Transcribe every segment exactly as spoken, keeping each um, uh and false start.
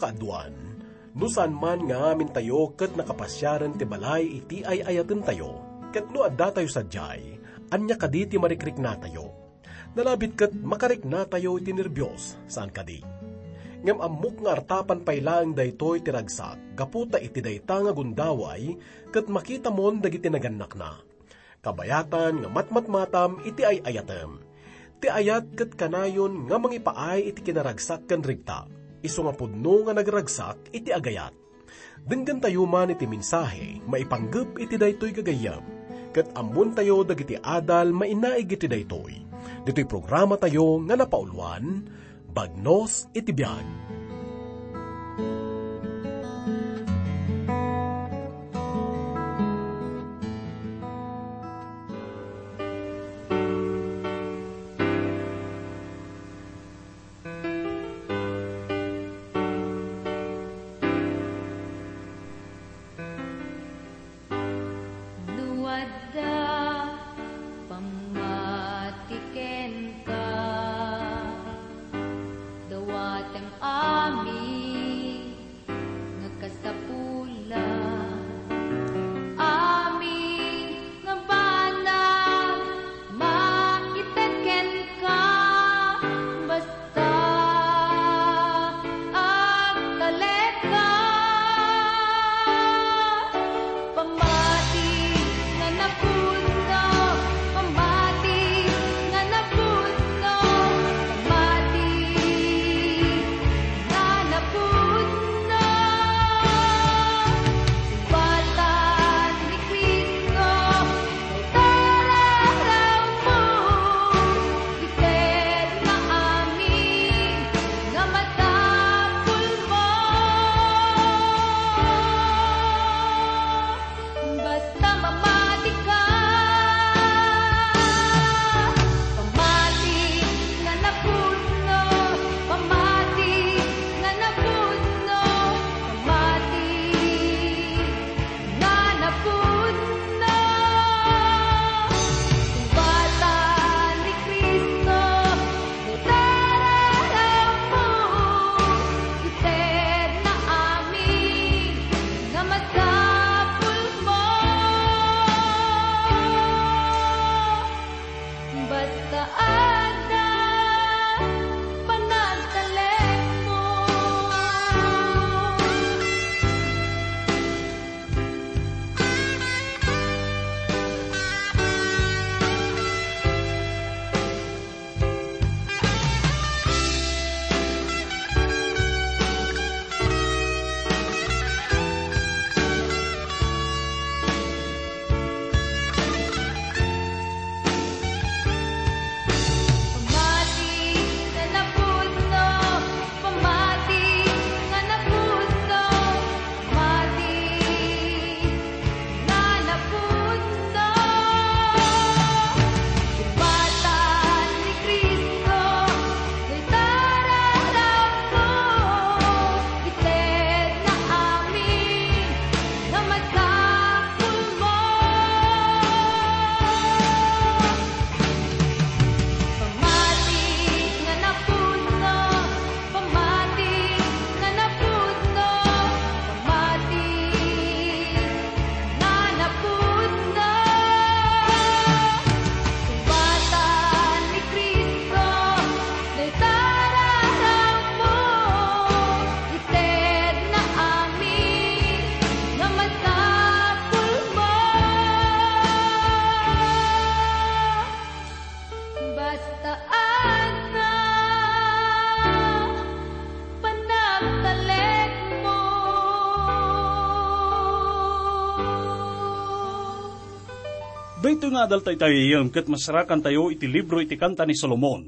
Kaaduan, no saan man nga amintayo ket nakapasiaren ti balay iti ay-ayatentayo, ket no addatayo sadiay, ania kadi ti marikriknatayo? Nalabit ket makariknatayo iti nerbios, saan kadi? Ngem ammok nga artapan pay laeng daytoy ti ragsak gapu ta iti dayta nga gundaway ket makitamon dagiti nagannakna. Kabayatan nga matmatmatam iti ay-ayatem. Ti ayat ket kanayon nga mangipaay iti kinaragsak ken regta, isu nga pudno nga nagragsak iti agayat. Denggentayo man iti mensahe maipanggep iti daytoy gagayyem, ket ammontayo dagiti adal mainaig iti daytoy. Ditoy programatayo nga napauluan, Bagnos iti Biag. No adda pammati kenka, dawatem amin nga kasapulan. Amin nga banag maited kenka, basta agtalekka. Pammati nga napudno, pammati nga napudno, pammati nga napudno. Sumbatan ni Cristo, tararamo, itedna amin nga masapulmo. Basta mamatika, pamati nga napudno, pamati nga napudno, pamati nga napudno. Sumbatan ni Cristo, itedna amin, itedna amin nga masapulmo. Basta adda panagtalekmo. Pamati nga napudno, pamati nga napudno, pamati nga napudno. Sumbatan ni Cristo, itedna amin, itedna amin nga masapulmo. Pamati nga napudno, pamati nga napudno, pamati nga napudno. Sumbatan ni Cristo, dayta rarammo, itedna amin nga masapulmo. Basta adda panagtalekmo. Daytoy nga adal tayo, ket masarakantayo iti libro iti Kanta ni Solomon,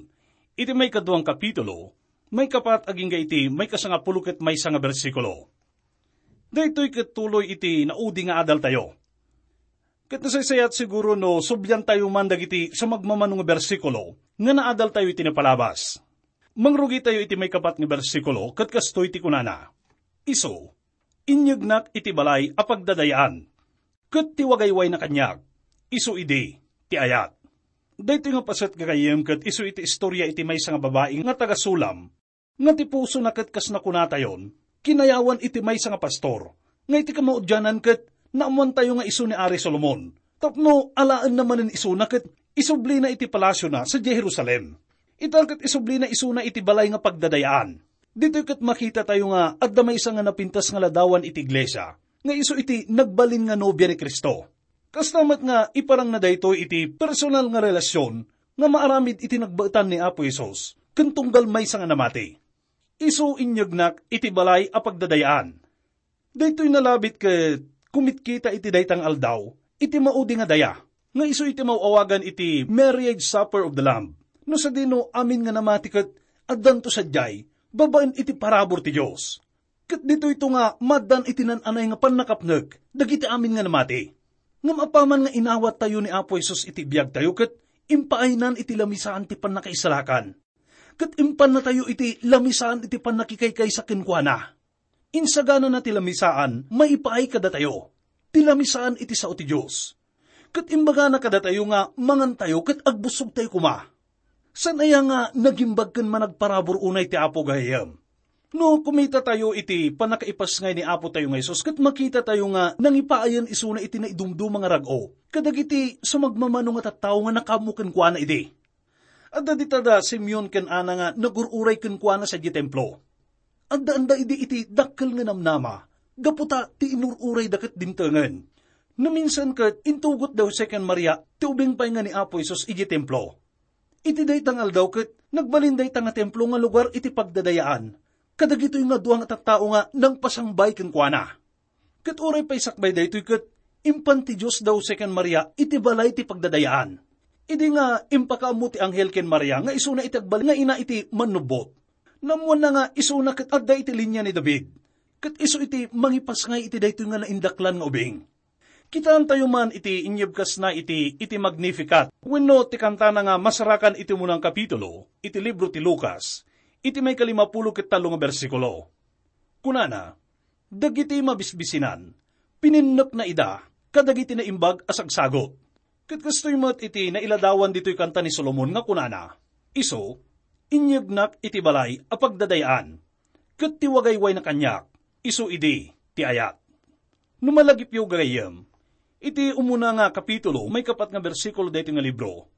iti maikadua nga kapitulo, maikapat agingga iti maikasangapulo ket maysa nga bersikulo. Daytoy ket tuloy iti naudi nga adaltayo. Ket nasaysayat siguro no subliantayo man dagiti sumagmamano nga bersikulo nga naadaltayo iti napalabas. Mangrugitayo iti maikapat nga bersikulo ket kastoy ti kunana, "Isu, inyegnak iti balay a pagdadayaan, ket ti wagaywayna kaniak, isu idi ti ayat." Daytoy nga paset, gagayyem, ket isu iti istorya iti maysa nga babai nga taga-Sulam, nga ti pusona ket kas nakunatayon, kinayawan iti maysa nga pastor, nga iti kamaudianan ket naammoantayo nga isu ni Ari Solomon, tapno alaenna manen isuna ket isublina iti palasiona sadiay Jerusalem. Ita ket isublina isuna iti balay nga pagdadayaan. Ditoy ket makitatayo nga adda maysa nga napintas nga ladawan iti iglesia, nga isu iti nagbalin nga nobia ni Cristo. Kasta met nga iparangna daytoy iti personal nga relasion nga maaramid iti nagbaetan ni Apo Jesus ken tunggal maysa nga namati. Isu inyegnak iti balay a pagdadayaan. Daytoy nalabit ket kumitkita iti dayta nga aldaw iti maudi nga daya, nga isu iti maw-awagan iti Marriage Supper of the Lamb. No sadino amin nga namati ket addanto sadiay babaen iti parabur ti Dios. Ket ditoyto nga maddan iti nan-anay nga pannakapnek dagiti amin nga namati. Ngem apaman nga inawattayo ni Apo Jesus iti biagtayo ket impaaynan iti lamisaan ti pannakaisalakan. Ket impannatayo iti lamisaan iti pannakikaykaysa kenkuana. Insaganana ti lamisaan maipaay kadatayo ti lamisaan iti sao ti Dios. Ket imbagana kadatayo nga mangantayo ket agbussogtayo koma. Saan aya nga nagimbag ken managparabur unay ti Apo gayam? No kumitatayo iti pannakaipasngay ni Apo tayo nga Jesus ket makitatayo nga nangipaayen isuna iti naidumduma nga rag-o kadagiti sumagmamano nga tattao nga nakaammo kenkuana idi. Adda dita da Simeon ken Ana nga nagur-uray kenkuana sadiay templo. Addaanda idi iti dakkel nga namnama, gapu ta ti inur-urayda ket dimtengen. Naminsan ket intugot da Jose ken Maria ti ubing pay nga ni Apo Jesus idiay templo. Iti dayta nga aldaw ket nagbalin dayta nga templo nga lugar iti pagdadayaan kadagitoy nga dua nga tattao nga nangpasangbay kenkuana. Ket uray pay sakbay daytoy ket impan ti Dios da Jose ken Maria iti balay ti pagdadayaan. Idi nga impakaammo ti anghel ken Maria nga isuna iti agbalin nga ina iti Mannubbot. Naammoanna nga isuna ket adda iti linia ni David. Ket isu iti mangipasngay iti daytoy nga naindaklan nga ubing. Kitaentayo man iti inyebkasna iti, iti Magnificat, wenno ti kantana nga masarakan iti umunang kapitulo iti libro ti Lucas, iti maikalimapulo ket tallo nga bersikulo. Kunana, "Dagiti mabisbisinan, pininnekna ida kadagiti naimbag a sagsagut." Ket kastoy met iti nailadawan ditoy kanta ni Solomon nga kunana, "Isu, inyegnak iti balay a pagdadayaan, ket ti wagaywayna kaniak, isu idi ti ayat." No malagipyo gagayyem, iti umuna nga kapitulo, maikapat nga bersikulo daytoy nga libro,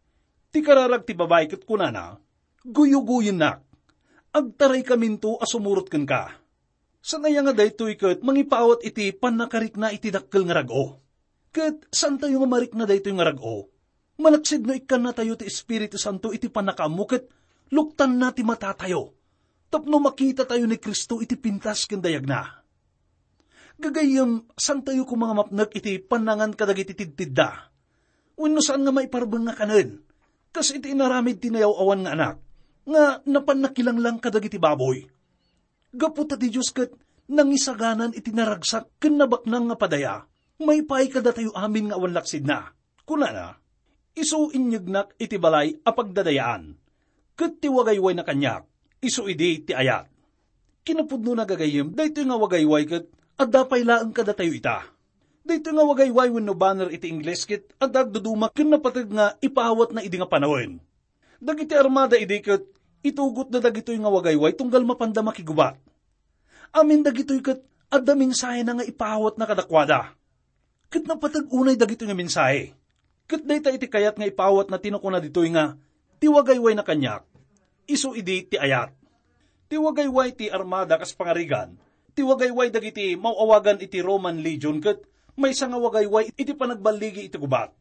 ti kararag ti babai ket kunana, "Guyugoyennak, agtaraykaminto a sumurot kenka." Saan aya nga daytoy ket mangipaawat iti pannakarikna iti dakkel nga rag-o. Ket saantayo nga marikna daytoy nga rag-o. Malaksid no ikkannatayo ti Espiritu Santo iti pannakaammo ket luktanna ti matatayo tapno makitatayo ni Cristo iti pintas ken dayagna. Gagayyem, saantayo koma nga mapnek iti pannangan kadagiti tidtidda. Wenno saan nga maiparbeng nga kanen, kas iti inaramid ti nayaw-awan nga anak, nga napan nakilanglang kadagiti baboy. Gapu ta ti Dios ket nangisaganan iti naragsak ken nabaknang nga padaya, maipaay kadatayo amin nga awan laksidna. Kunana, "Isu inyegnak iti balay a pagdadayaan, ket ti wagaywayna kaniak, isu idi ti ayat." Kinapudnona gagayyem, daytoy nga wagayway ket adda pay laeng kadatayo ita. Daytoy nga wagayway wenno banner iti Ingles ket adda agduduma ken napateg nga ipaawatna idi nga panawen. Dagiti armada idi ket itugotda dagitoy nga wagayway tunggal mapanda makigubat. Amin dagitoy ket adda mensahena nga ipaawatna kadakuada. Ket napateg unay dagitoy nga mensahe. Ket dayta iti kayat nga ipaawatna ti nakuna ditoy nga, "Ti wagaywayna kaniak, isu idi ti ayat." Ti wagayway ti armada kas pangarigan, ti wagayway dagiti maw-awagan iti Roman Legion ket maysa nga wagayway iti panagballigi iti gubat.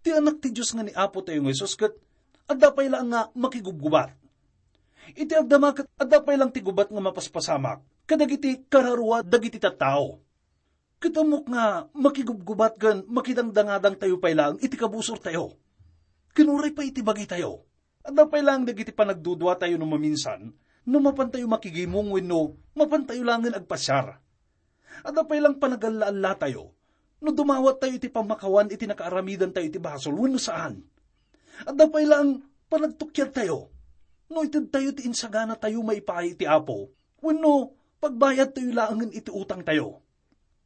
Ti Anak ti Dios nga ni Apo tayo nga Jesus ket adda pay laeng nga makigubgubat. Iti agdama ket adda pay laeng ti gubat nga mapaspasamak kadagiti kararua dagiti tattao. Ket ammok nga makigubgubat ken makidangdangadangtayo pay laeng iti kabusortayo. Ken uray pay iti bagitayo. Adda pay laeng dagiti panagduduatayo no maminsan, no mapantayo makigimong wenno mapantayo laengen agpasiar. Adda pay laeng panagalla-allatayo no dumawattayo iti pammakawan iti nakaaramidantayo iti basol wenno saan. Adda pay laeng panagtukiadtayo no itedtayo ti insaganatayo maipaay iti Apo wenno pagbayadtayo laengen iti utangtayo.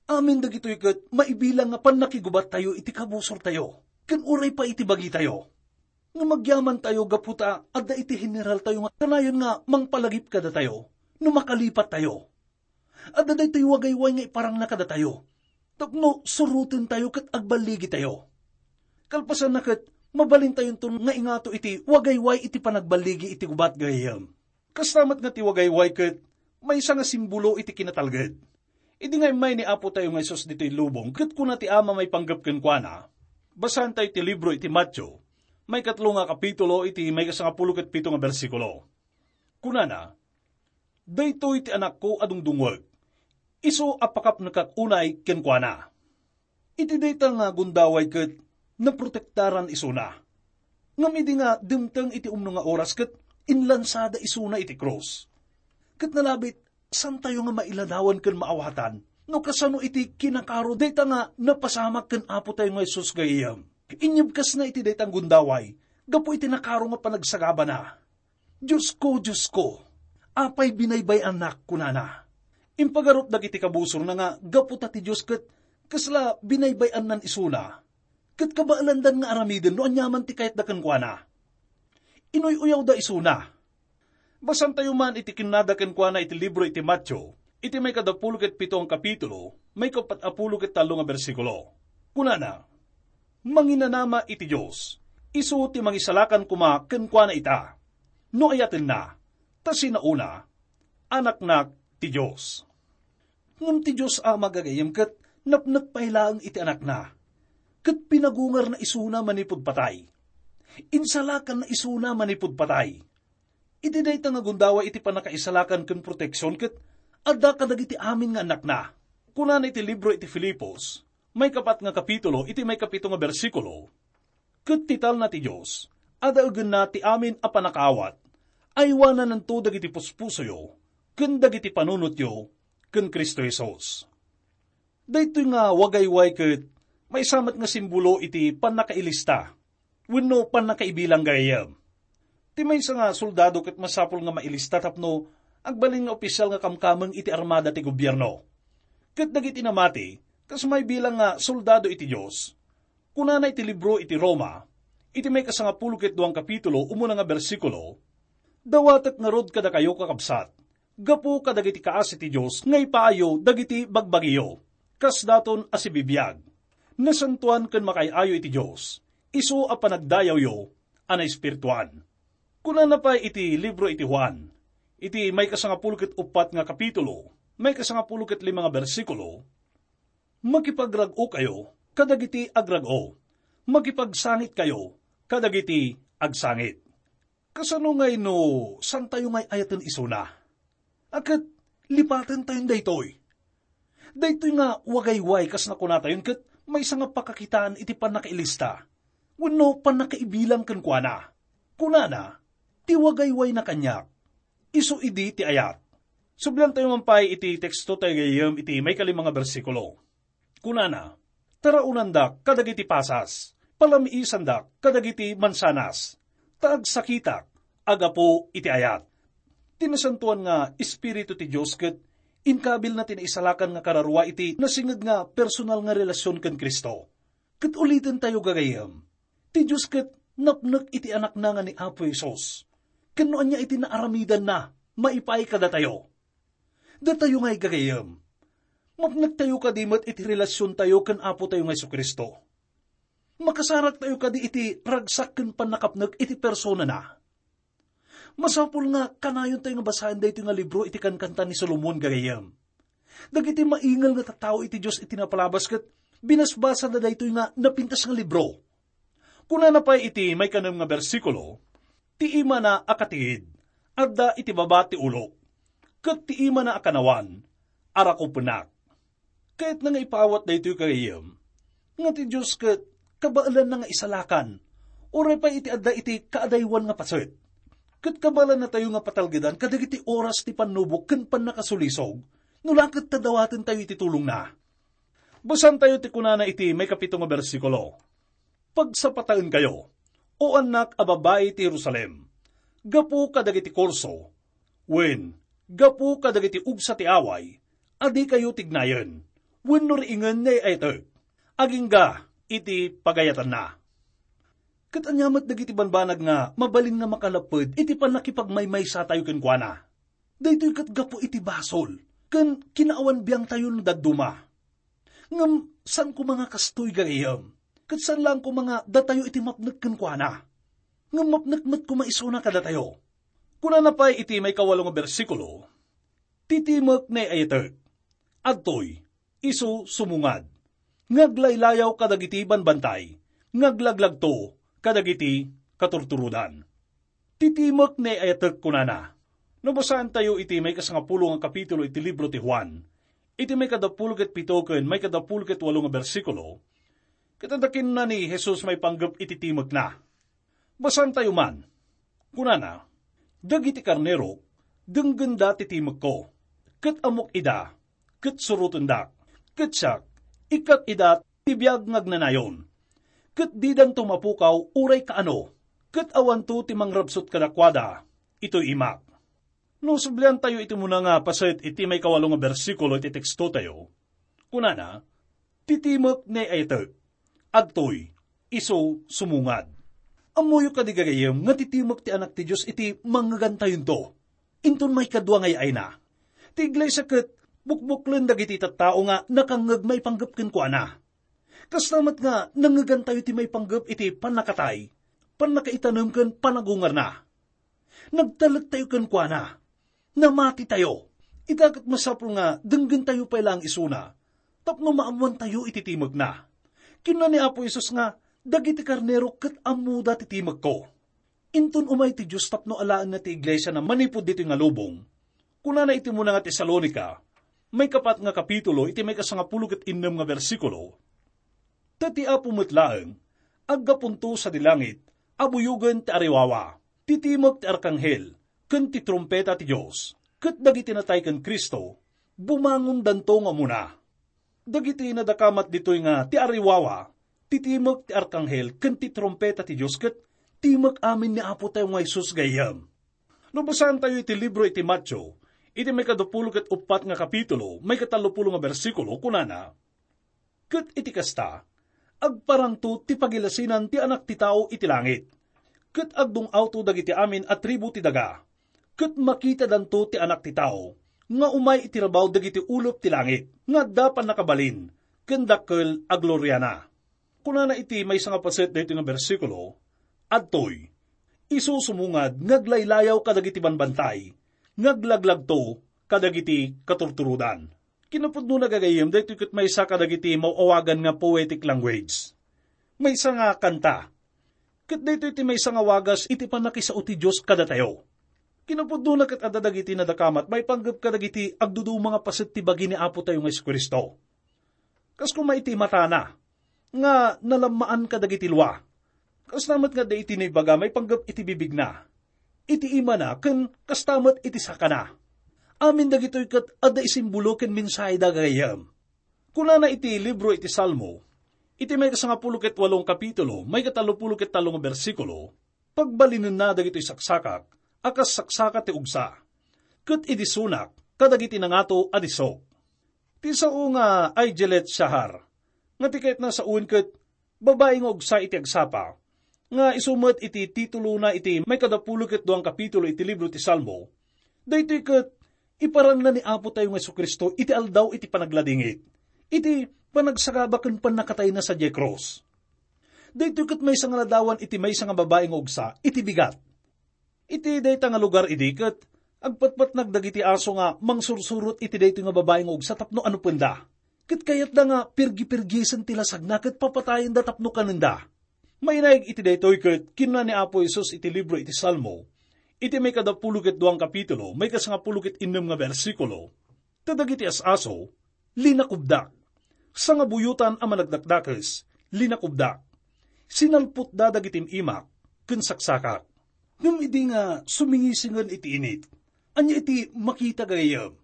Amin dagitoy ket maibilang nga pannakigubattayo iti kabusortayo ken uray pay iti bagitayo. Ngem agyamantayo gapu ta adda iti generaltayo nga kanayon nga mangpalagip kadatayo no makalipattayo. Adda daytoy wagayway nga iparangna kadatayo tapno surotentayo ket agballigitayo. Kalpasanna ket, mabalintayonton nga ingato iti wagayway iti panagballigi iti gubat, gayyem. Kasta met nga ti wagayway ket maysa nga simbolo iti kinatalged. Idi nga immay ni Apo tayo nga Jesus ditoy lubong, ket kuna ti Ama maipanggep kenkuana, basaentayo ti libro iti Mateo, maikatlo nga kapitulo, iti maikasangapulo ket pito nga bersikulo. Kunana, "Daytoy ti Anakko a dungdungwek, isu a pakapnekak unay kenkuana." Iti dayta nga gundaway ket naprotektaran isuna. Ngem idi nga dimteng iti umno nga oras ket inlansada isuna iti krus. Ket nalabit, santayo nga mailadawan ken maawatan no kasano iti kinakaro dayta nga napasamak ken Apo tayo nga Jesus, gayyem. Inyebkasna iti dayta nga gundaway gapu iti nakaro nga panagsagabana. "Diosko, Diosko, apay binaybay-annak?" kunana. Impagarop dagiti kabusorna nga gapu ta ti Dios ket kasla binaybay-annan isuna, ket kabaelandan nga aramiden no aniaman ti kayatda kenkuana. Inuy-uyawda isuna. Basantayo man iti kinnada kenkuana iti libro iti Mateo, iti maikadapulo ket pito nga kapitulo, maikapat a pulo ket tallo nga bersikulo. Kunana, "Manginanama iti Dios, isu ti mangisalakan koma kenkuana ita, no ayatenna, ta sinaona, anaknak ti Dios." Ngem ti Dios a magagayem ket napnek pay laeng iti Anakna, ket pinagungarna isuna manipud patay. Insalakanna isuna manipud patay. Iti dayta nga gundaway iti pannakaisalakan ken proteksion ket adda kadagiti amin nga annakna. Kunana iti libro iti Filipos, maikapat nga kapitulo, iti maikapito nga bersikulo, "Ket ti talna ti Dios, adaegenna ti amin a pannakaawat, aywanananto dagiti puspusoyo ken dagiti panunotyo ken Cristo Jesus." Daytoy nga wagayway ket maysa met nga simbolo iti pannakailista wenno pannakaibilang, gayyem. Ti maysa nga soldado ket masapul nga mailista tapno agbalin nga opisyal nga kamkameng iti armada ti gobierno. Ket dagiti namati kas maibilang nga soldado iti Dios, kunana iti libro iti Roma, iti maikasangapulo ket duang kapitulo, umuna nga bersikulo, "Dawatek ngarud kadakayo, kakabsat, gapu kadagiti kaasi ti Dios nga ipaayo dagiti bagbagiyo, kasdaton a sibibiag, nasantoan ken makaay-ayo iti Dios, isu a panagdayawyo a naespirituan." Kunana pay iti libro iti Juan, iti maikasangapulo ket uppat nga kapitulo, maikasangapulo ket lima nga bersikulo, "Makipagrag-okayo kadagiti agrag-o, makipagsangitkayo kadagiti agsangit." Kasano ngay no santayo ngay ayaten isuna? A ket lipatentayon daytoy. Daytoy nga wagayway kas nakunatayon ket maysa nga pakakitaan iti pannakailista wenno pannakaibilang kenkuana. Kunana, "Ti wagayway na kaniak, isu idi ti ayat." Subliantayo man pay iti teksto tayo gayyem iti maikalima nga bersikulo. Kunana, "Taraonandak kadagiti pasas, palamiisandak kadagiti mansanas, ta agsakitak a gapu iti ayat." Ti nasantoan nga Espiritu ti Dios ket inkabilna ti naisalakan nga kararua iti nasinged nga personal nga relasion ken Cristo. Ket ulitentayo, gagayyem, ti Dios ket napnek iti Anakna nga ni Apo Jesus. Ken no ania iti naaramidanna, maipaay kadatayo. Datayo nga igagayem, mapnektayo kadi met iti relasiontayo ken Apotayo nga Jesu-Cristo. Makasaraktayo kadi iti ragsak ken pannakapnek iti personana. Masapul nga kanayontayo nga basaen daytoy nga libro iti Kankanta ni Solomon, gagayem. Dagiti maingel nga tattao iti Dios iti napalabas ket binasbasada daytoy nga napintas nga libro. Kunana pay iti maikanem nga bersikulo, "Ti imana a katigid, adda iti baba ti ulo, ket ti imana a kanawan, arakupennak." Kayatna nga ipaawat daytoy, gagayyem, nga ti Dios ket kabaelanna nga isalakan, uray pay iti adda iti kaadaywan nga paset. Ket kabaelannatayo nga patalgedan kadagiti oras ti pannubok ken pannakasulisog, no la ket ta dawatentayo iti tulongna. Basantayo ti kunana iti maikapito nga bersikulo, "Pagsapataenkayo, O annak a babai ti Jerusalem, gapu kadagiti kurso, wen gapu kadagiti ugsa ti away a dikayo tignayen, wenno riingen nga ay-ayatek, agingga iti pagayatanna." Ket ania met dagiti banbanag nga mabalin nga makalapped iti pannakipagmaymaysatayo kenkuana? Daytoy ket gapu iti basol, ken kinaawan biangtayo no dadduma. Ngem saan koma nga kastoy, gagayyem, ket saan laeng koma nga datayo iti mapnek kenkuana, ngem mapnek met koma isuna kadatayo. Kunana pay iti maikawalo nga bersikulo, "Ti timek ne ayatek, adtoy, isu sumungad, nga aglaylayaw kadagiti banbantay, nga aglaglagto kadagiti katurturodan." Ti timek ne ayatek, kunana. No basaentayo iti maikasangapulo nga kapitulo iti libro ti Juan, iti maikadapulo ket pito ken maikadapulo ket walo nga bersikulo, ket adda kinuna ni Jesus maipanggep iti timekna. Basaentayo man. Kunana, "Dagiti karnerok, denggenda ti timekko, ket ammok ida, ket surotendak, ket siak, ikkat ida ti biag nga agnanayon, ket didanto mapukaw uray kaano, ket awanto ti mangrabsut kadakuada itoy imak." No subliantayo iti umuna nga paset iti maikawalo nga bersikulo iti tekstotayo, kunana, "Ti timek ne ayatek, adtoy, isu sumungad." Ammoyo kadi, gagayyem, nga ti timek ti Anak ti Dios iti mangngegantayonto. Inton maikadua nga ay-ayna, ti iglesia ket bukbuklen dagiti tattao nga nakangngeg maipanggep kenkuana. Kasta met nga nangngegantayo ti maipanggep iti pannakatay, pannakaitanem ken panagungarna. Nagtalektayo kenkuana. Namatitayo. Ita ket masapul nga denggentayo pay laeng isuna tapno maammoantayo iti timekna. Kinuna ni Apo Jesus nga, "Dagiti karnero ket ammoda ti timekko." Inton umay ti Dios tapno alaenna ti iglesiana manipud ditoy nga lubong, kunana iti umuna nga Tesalonica, maikapat nga kapitulo, iti maikasangapulo ket innem nga bersikulo, "Ta ti Apo met laeng, aggapunto sadi langit, a buyogen ti ariwawa, ti timek ti arkanghel, ken ti trumpeta ti Dios, ket dagiti natay ken Cristo, bumangondanto nga umuna." Dagiti nadakamat ditoy nga ti ariwawa, ti timek ti arkanghel, ken ti trumpeta ti Dios ket timek amin ni Apo tayo nga Jesus, gayyem. No basaentayo iti libro iti Mateo, iti maikadapulo ket uppat nga kapitulo, maikatallopulo nga bersikulo, kunana, "Ket iti kasta, agparangto ti pagilasinan ti Anak ti Tao iti langit, ket agdung-awto dagiti amin a tribu ti daga, ket makitadanto ti Anak ti Tao nga umay iti rabaw dagiti ulep ti langit nga adda pannakabalin ken dakkel a gloriana." Kunana iti maysa nga paset daytoy nga bersikulo, "Adtoy, isu sumungad nga aglaylayaw kadagiti banbantay, nga aglaglagto kadagiti katurturodan." Kinapudnona, gagayyem, daytoy ket maysa kadagiti maw-awagan nga poetic language. Maysa nga kanta. Ket daytoy ti maysa nga wagas iti pannakisao ti Dios kadatayo. Kinapudnona ket adda dagiti nadakamat maipanggep kadagiti agduduma nga paset ti bagi ni Apo tayo nga Jesu-Cristo. Kas koma iti matana, nga nalammaan kadagiti lua. Kasta met nga adda iti naibaga maipanggep iti bibigna, iti imana, ken kasta met iti sakana. Amin dagitoy ket adda isimbolo ken mensaheda, gagayyem. Kunana iti libro iti Salmo, iti maikasangapulo ket walo nga kapitulo, maikatallopulo ket tallo nga bersikulo, "Pagbalinenna dagitoy saksakak a kas saksaka ti ugsa, ket idisunak kadagiti nangato a disok." Ti sao nga Aigelet Shahar, nga ti kayatna sawen ket babai nga ugsa iti agsapa, nga isu met iti titulona iti maikadapulo ket dua nga kapitulo iti libro ti Salmo, daytoy ket iparanna ni Apo tayo nga Jesu-Cristo iti aldaw iti panagladingit, iti panagsagaba ken pannakatayna sadiay krus. Daytoy ket maysa nga ladawan iti maysa nga babai nga ugsa iti bigat. Iti dayta nga lugar idi ket agpatpatnag dagiti aso nga mangsursurot iti daytoy nga babai nga ugsa tapno anupenda. Ket kayatda nga pirgipirgisen ti lasagna ket papatayenda tapno kanenda. Mainaig iti daytoy ket kinuna ni Apo Jesus iti libro iti Salmo, iti maikadapulo ket dua nga kapitulo, maikasangapulo ket innem nga bersikulo, "Ta dagiti as-aso, linakubdak. Sangabuyotan a managdakdakes, linakubdak. Sinalpotda dagiti im-imak ken saksakak." Ngem idi nga sumingisingen iti init, ania iti makita, gagayyem?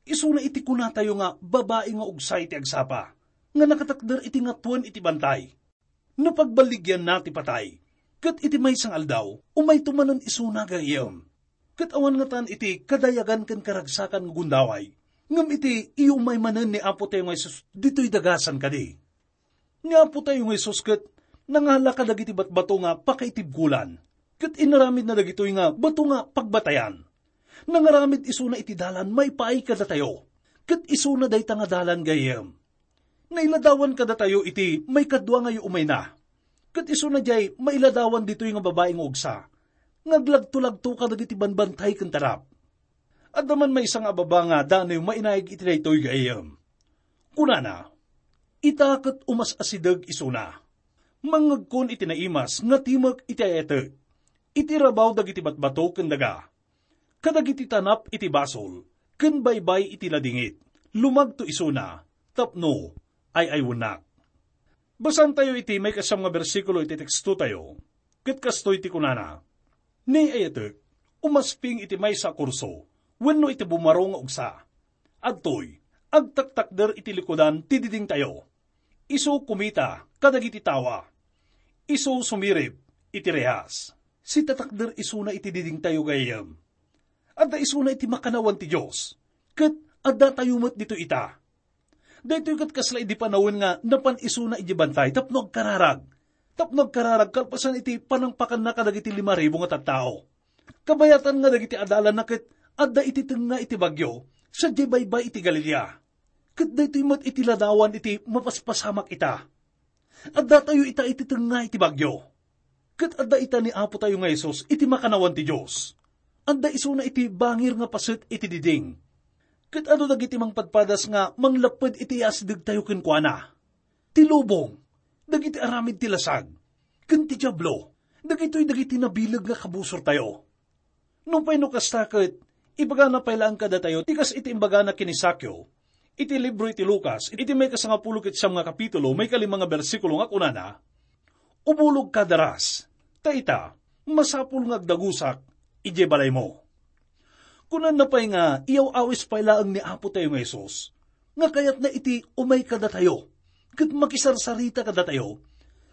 Isuna iti kunatayo nga babai nga ugsa iti agsapa, nga nakatakder iti ngatuen iti bantay. Napagballigianna ti patay, ket iti maysa nga aldaw, umayto manen isuna, gagayyem. Ket awan ngatan iti kadayagan ken karagsakan nga gundaway, ngem iti iyumay manen ni Apo tayo nga Jesus ditoy dagasan kadi. Ni Apo tayo nga Jesus ket nangala kadagiti batbato nga pakaitibkolan, ket inaramidna dagitoy nga bato nga pagbatayan. Nangaramid isuna iti dalan maipaay kadatayo. Ket isuna dayta nga dalan, gayyem. Nailadawan kadatayo iti maikadua nga yuumayna. Ket isuna diay mailadawan ditoy nga babai nga ugsa, nga aglagtulagto kadagiti banbantay ken tarap. Adda man maysa nga ababa nga danayo mainaig iti daytoy, gayyem. Kunana, "Ita ket umas-asideg isuna. Mangngegkon iti naimas nga timek iti ay-atek, iti rabaw dagiti batbato ken daga, kadagiti tanap iti basol, ken baybay iti ladingit. Lumagto isuna, tapno ay-aywennak." Basaentayo iti maikasiam nga bersikulo iti tekstotayo, ket kastoy ti kunana, "Ni ay-atek, umasping iti maysa a kurso, wenno iti bumaro nga ugsa. Adtoy, agtaktakder iti likudan ti didingtayo. Isu kumita kadagiti tawa. Isu sumirib iti rehas." Sitatakder isuna iti didingtayo, gayyem. Adda isuna iti makannawan ti Dios, ket addatayo met ditoy ita. Daytoy ket kasla idi panawen nga napan isuna idiay bantay tapno agkararag. Tapno agkararag kalpasan iti panangpakanna kadagiti lima ribu nga tattao. Kabayatan nga dagiti adalanna ket adda iti tengnga iti bagyo, sadiay baybay iti Galilea. Ket daytoy met iti ladawan iti mapaspasamak ita. Addatayo ita iti tengnga iti bagyo. Ket adda ita ni Apo tayo nga Jesus iti makannawan ti Dios. Adda isuna iti bangir nga paset iti diding. Ket adu dagiti mangpadpadas nga manglapped iti asidegtayo kenkuana. Ti lubong, dagiti aramid ti lasag, ken ti Diablo, dagitoy dagiti nabileg nga kabusortayo. Nupay no kasta ket, ibagana pay laeng kadatayo ti kas iti imbagana ken ni Sakeo iti libro iti Lucas, iti maikasangapulo ket siam nga kapitulo, maikalima nga bersikulo nga kunana, "Ubologka daras, ta ita, masapul nga agdagusak idiay balaymo." Kunana pay nga iyaw-awis pay laeng ni Apo tayo nga Jesus, nga kayatna iti umay kadatayo, ket makisarsarita kadatayo,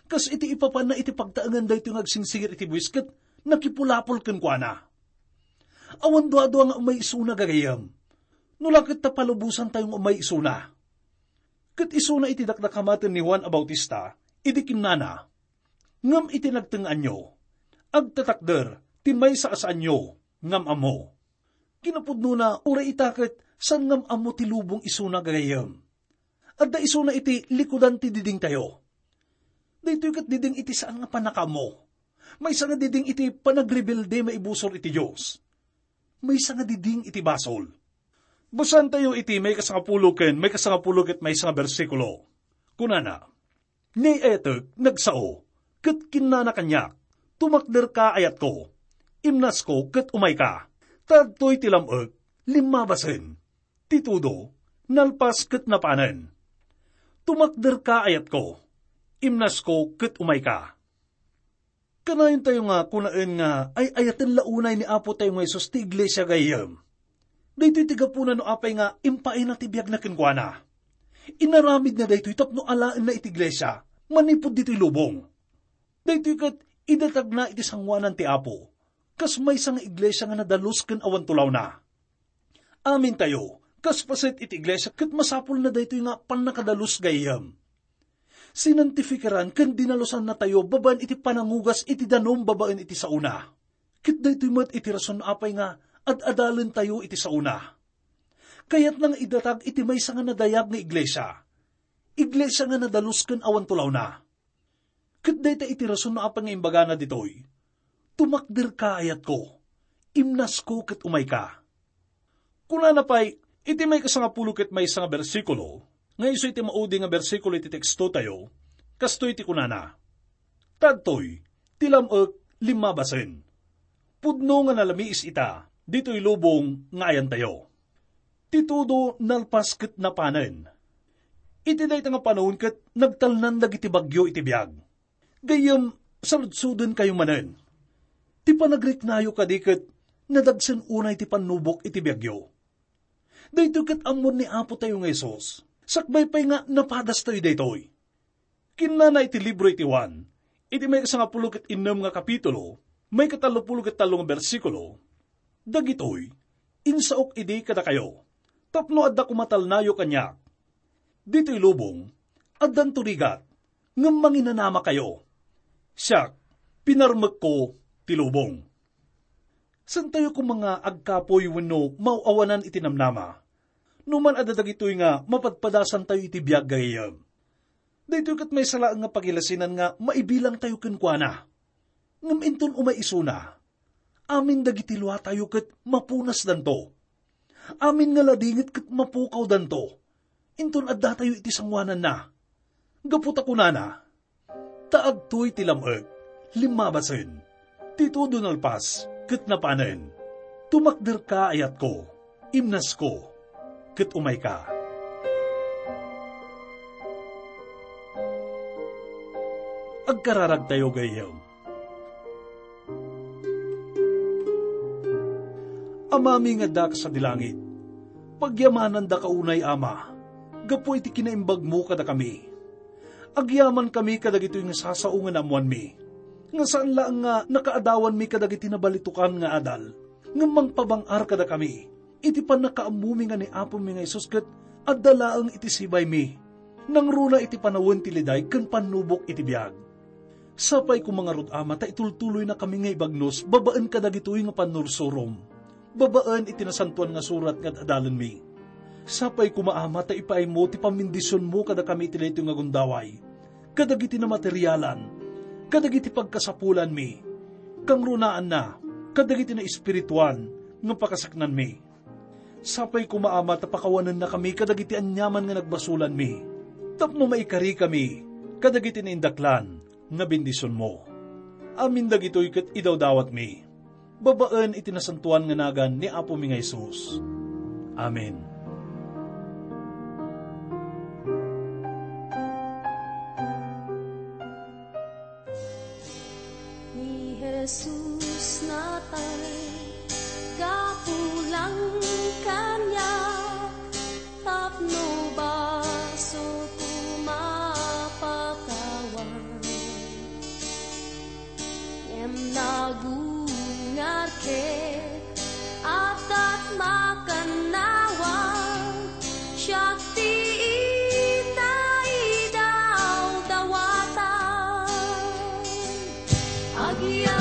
kas iti ipapanna iti pagtaengan daytoy nga agsingsingir iti buis ket nakipulapol kenkuana. Awan duadua nga umay isuna, gagayyem. No la ket ta palubosantayo nga umay isuna. Ket isuna iti dakdakamaten ni Juan a Bautista, idi kinnana, "Ngem iti nagtengngaanyo, agtatakder ti maysa a saanyo ngam-ammo." Kinapudnona, uray ita ket saan ngam-ammo ti lubong isuna, gagayyem. Adda isuna iti likudan ti didingtayo. Daytoy ket diding iti saan nga pannakaammo. Maysa nga diding iti panagrebelde maibusor iti Dios. Maysa nga diding iti basol. Basaentayo iti maikasangapulo ken maikasangapulo ket maysa nga bersikulo. Kunana, "Ni ay-atek nagsao, ket kinnana kaniak, 'Tumakderka, ayatko, imnasko ket umayka, ta adtoy ti lam-ek, limmabasen. Ti tudo, nalpas ket napanen. Tumakderka, ayatko, imnasko ket umayka.'" Kanayontayo nga kunaen nga ay-ayaten la unay ni Apo tayo nga Jesus ti iglesia, gayyem. Daytoy ti gapuna no apay nga impaayna ti biagna kenkuana. Inaramidna daytoy tapno alaenna iti iglesia manipud ditoy lubong. Daytoy ket idatagna iti sangoanan ti Apo, kas maysa nga iglesia nga nadalus ken awan tulawna. Amintayo, kas paset iti iglesia ket masapulna daytoy nga pannakadalus, gayyem. Sinantifikaran ken dinalosannatayo babaen iti panangugas iti danum babaen iti saona. Ket daytoy met iti rason apay nga ad-adalentayo iti saona. Kayatna nga idatag iti maysa nga nadayag nga iglesia. Iglesia nga nadalus ken awan tulawna. Ket dayta iti rason no apay nga imbagana ditoy, "Tumakderka, ayatko, imnasko ket umayka." Kunana pay, iti maikasangapulo ket maysa nga bersikulo, nga isu iti maudi nga bersikulo iti tekstotayo, kastoy ti kunana, "Ta adtoy, ti lam-ek limmabasen. Pudno nga nalamiis ita, ditoy lubong nga ayantayo. Ti tudo nalpas ket napanen." Iti dayta nga panawen ket nagtalnan dagiti bagyo iti biag. Gayyem, saludsodenkayo manen. Ti panagriknayo kadi ket nadagsen unay ti pannubok iti biagyo. Daytoy ket ammon ni Apo tayo nga Jesus. Sakbay pay nga napadastayo daytoy. Kinnana iti libro iti Juan, iti maikasangapulo ket innem nga kapitulo, maikatallopulo ket tallo nga bersikulo, "Dagitoy, insaok idi kadakayo, tapno adda koma talnayo kaniak. Ditoy lubong, addanto rigat, ngem manginanamakayo. Siak, pinarmekko ti lubong." Saantayo koma nga agkapuy wenno maaw-awanan iti namnama. No man adda dagitoy nga mapadpadasantayo iti biag, gayyem, daytoy ket maysa laeng nga pagilasinan nga maibilangtayo kenkuana. Ngem inton umay isuna, amin dagiti luatayo ket mapunasdanto. Amin nga ladingit ket mapukawdanto. Inton addatayo iti sangoananna. Gapu ta kunana, "Ta adtoy ti lam-ek, limmabasen, ti todo nalpas ket napanen. Tumakderka, ayatko, imnasko, ket umayka." Agkararagtayo, gayyem. Amami nga adda ka sadi langit, pagyamanandaka unay, Ama, gapu iti kinaimbagmo kadakami. Agyamankami kadagitoy nga sasao nga naammoanmi, nga saan laeng nga nakaadawanmi kadagiti nabalitokan nga adal, ngem mangpabang-ar kadakami iti pannakaammomi nga ni Apomi nga Jesus ket adda laeng iti sibaymi, nangruna iti panawen ti liday ken pannubok iti biag. Sapay koma ngarud, Ama, ta itultuloynakami nga ibagnos babaen kadagitoy nga pannursurom, babaen iti Nasantoan nga Surat nga ad-adalenmi. Sapay koma, Ama, ta ipaaymo ti pammendisionmo kadakami iti daytoy nga gundaway, kadagiti namaterialan, kadagiti pagkasapulanmi, kangrunaanna, kadagiti naespirituan nga pakasaknanmi. Sapay koma, Ama, ta pakawanennakami kadagiti aniaman nga nagbasolanmi, tapno maikarikami kadagiti naindaklan nga bendisionmo. Amin dagitoy ket idawdawatmi babaen iti nasantoan nga nagan ni Apomi nga Jesus. Amen. Ni Jesus natay gapu lang kaniak, tapno basolko mapakawan. Ngem nagungar ket addat makannawan, siak ti inaidawdawatan. Agyamankami